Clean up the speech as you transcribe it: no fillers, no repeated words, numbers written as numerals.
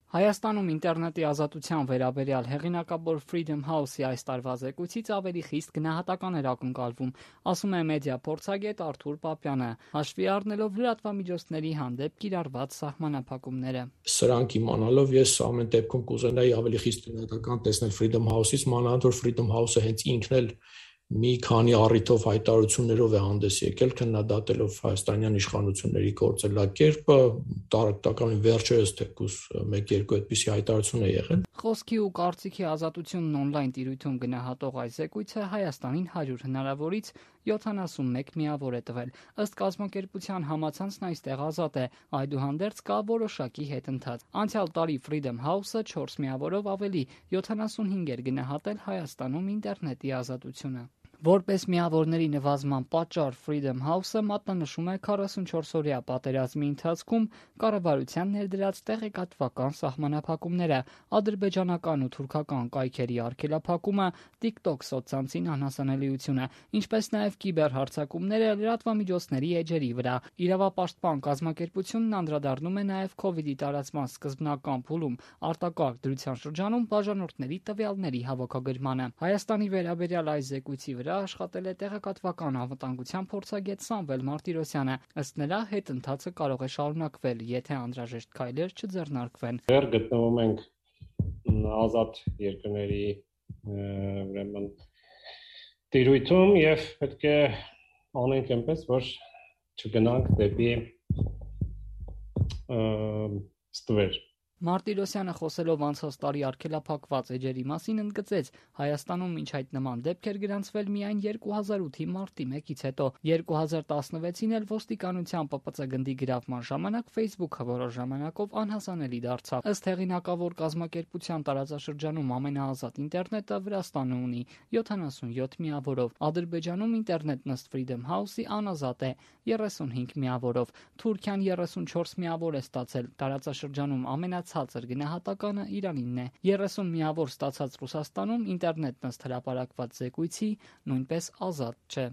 Հայաստանում ինտերնետի ազատության վերաբերյալ հեղինակավոր Freedom House-ի այս տարվա զեկույցից ավելի խիստ գնահատական էր ակնկալվում, ասում է մեդիա փորձագետ Արթուր Պապյանը, հաշվի առնելով լրատվամիջոցների հանդեպ կիրառված սահմանափակումները։ Սրանք իմանալով ես ամեն դեպքում կուզենայի ավելի խիստ գնահատական տեսնել Freedom House-ից, մանավանդ որ Freedom House-ը հենց ինքն էլ մի քանի առիթով հայտարարություններով է հանդես եկել, քննադատելով հայաստանյան իշխանությունների գործելակերպը, տարածական վերջերս թեկուզ 1-2 այդպիսի հայտարարություն է եղել։ Խոսքի ու կարծիքի ազատությունն on-line տիրույթում գնահատող այս զեկույցը Հայաստանին 100 հնարավորից 71 միավոր է տվել։ Ըստ կազմակերպության համացանցն այստեղ ազատ է, այդուհանդերձ կա որոշակի հետընթաց։ Անցյալ տարի Freedom House-ը 4 միավորով ավելի 75 էր գնահատել Հայաստանում ինտերնետի ազատությունը։ Որպես միավորների նվազման պատճառ Freedom House-ը մատնանշում է 44-օրյա պատերազմի ընթացքում կառավարության ներդրած տեղեկատվական սահմանափակումները, ադրբեջանական ու թուրքական կայքերի արգելափակումը, TikTok սոցցանցին անհասանելիությունը, ինչպես նաև կիբերհարձակումները լրատվամիջոցների էջերի վրա։ Իրավապաշտպան կազմակերպությունն անդրադառնում է նաև COVID-ի տարածման սկզբնական փուլում արտակարգ դրության շրջանում բաժանորդների տվյալների հավաքագրմանը։ Հայաստանի վերաբերյալ այս զեկույցի վրա աշխատել է տեղեկատվական անվտանգության փորձագետ Սամվել Մարտիրոսյանը։ Ըստ նրա, հետընթացը կարող է շարունակվել, եթե անհրաժեշտ քայլեր չձեռնարկվեն։ Դեռ գտնվում ենք ազատ երկրների ուրեմն տիրույթում եւ պետք է անենք այնպես, որ չգնանք դեպի ստվեր։ Մարտիրոսյանը խոսելով անցած տարի արգելափակված էջերի մասին ընդգծեց, Հայաստանում մինչ այդ նման դեպքեր գրանցվել միայն 2008-ի մարտի 1-ից հետո։ 2016-ին էլ ոստիկանության ՊՊՑ գնդի գրավման ժամանակ Facebook-ը որոշ ժամանակով անհասանելի դարձավ։ Ըստ հեղինակավոր կազմակերպության տարածաշրջանում ամենաազատ ինտերնետը Վրաստանը ունի 77 միավորով, Ադրբեջանում ինտերնետն ըստ Freedom House-ի անազատ է 35 միավորով, Թուրքիան 34 միավոր է ստացել, տարածաշրջանում ցածր գնահատականը Իրանինն է։ 30 միավոր ստացած Ռուսաստանում ինտերնետն ըստ հրապարակված զեկույցի նույնպես ազատ չէ։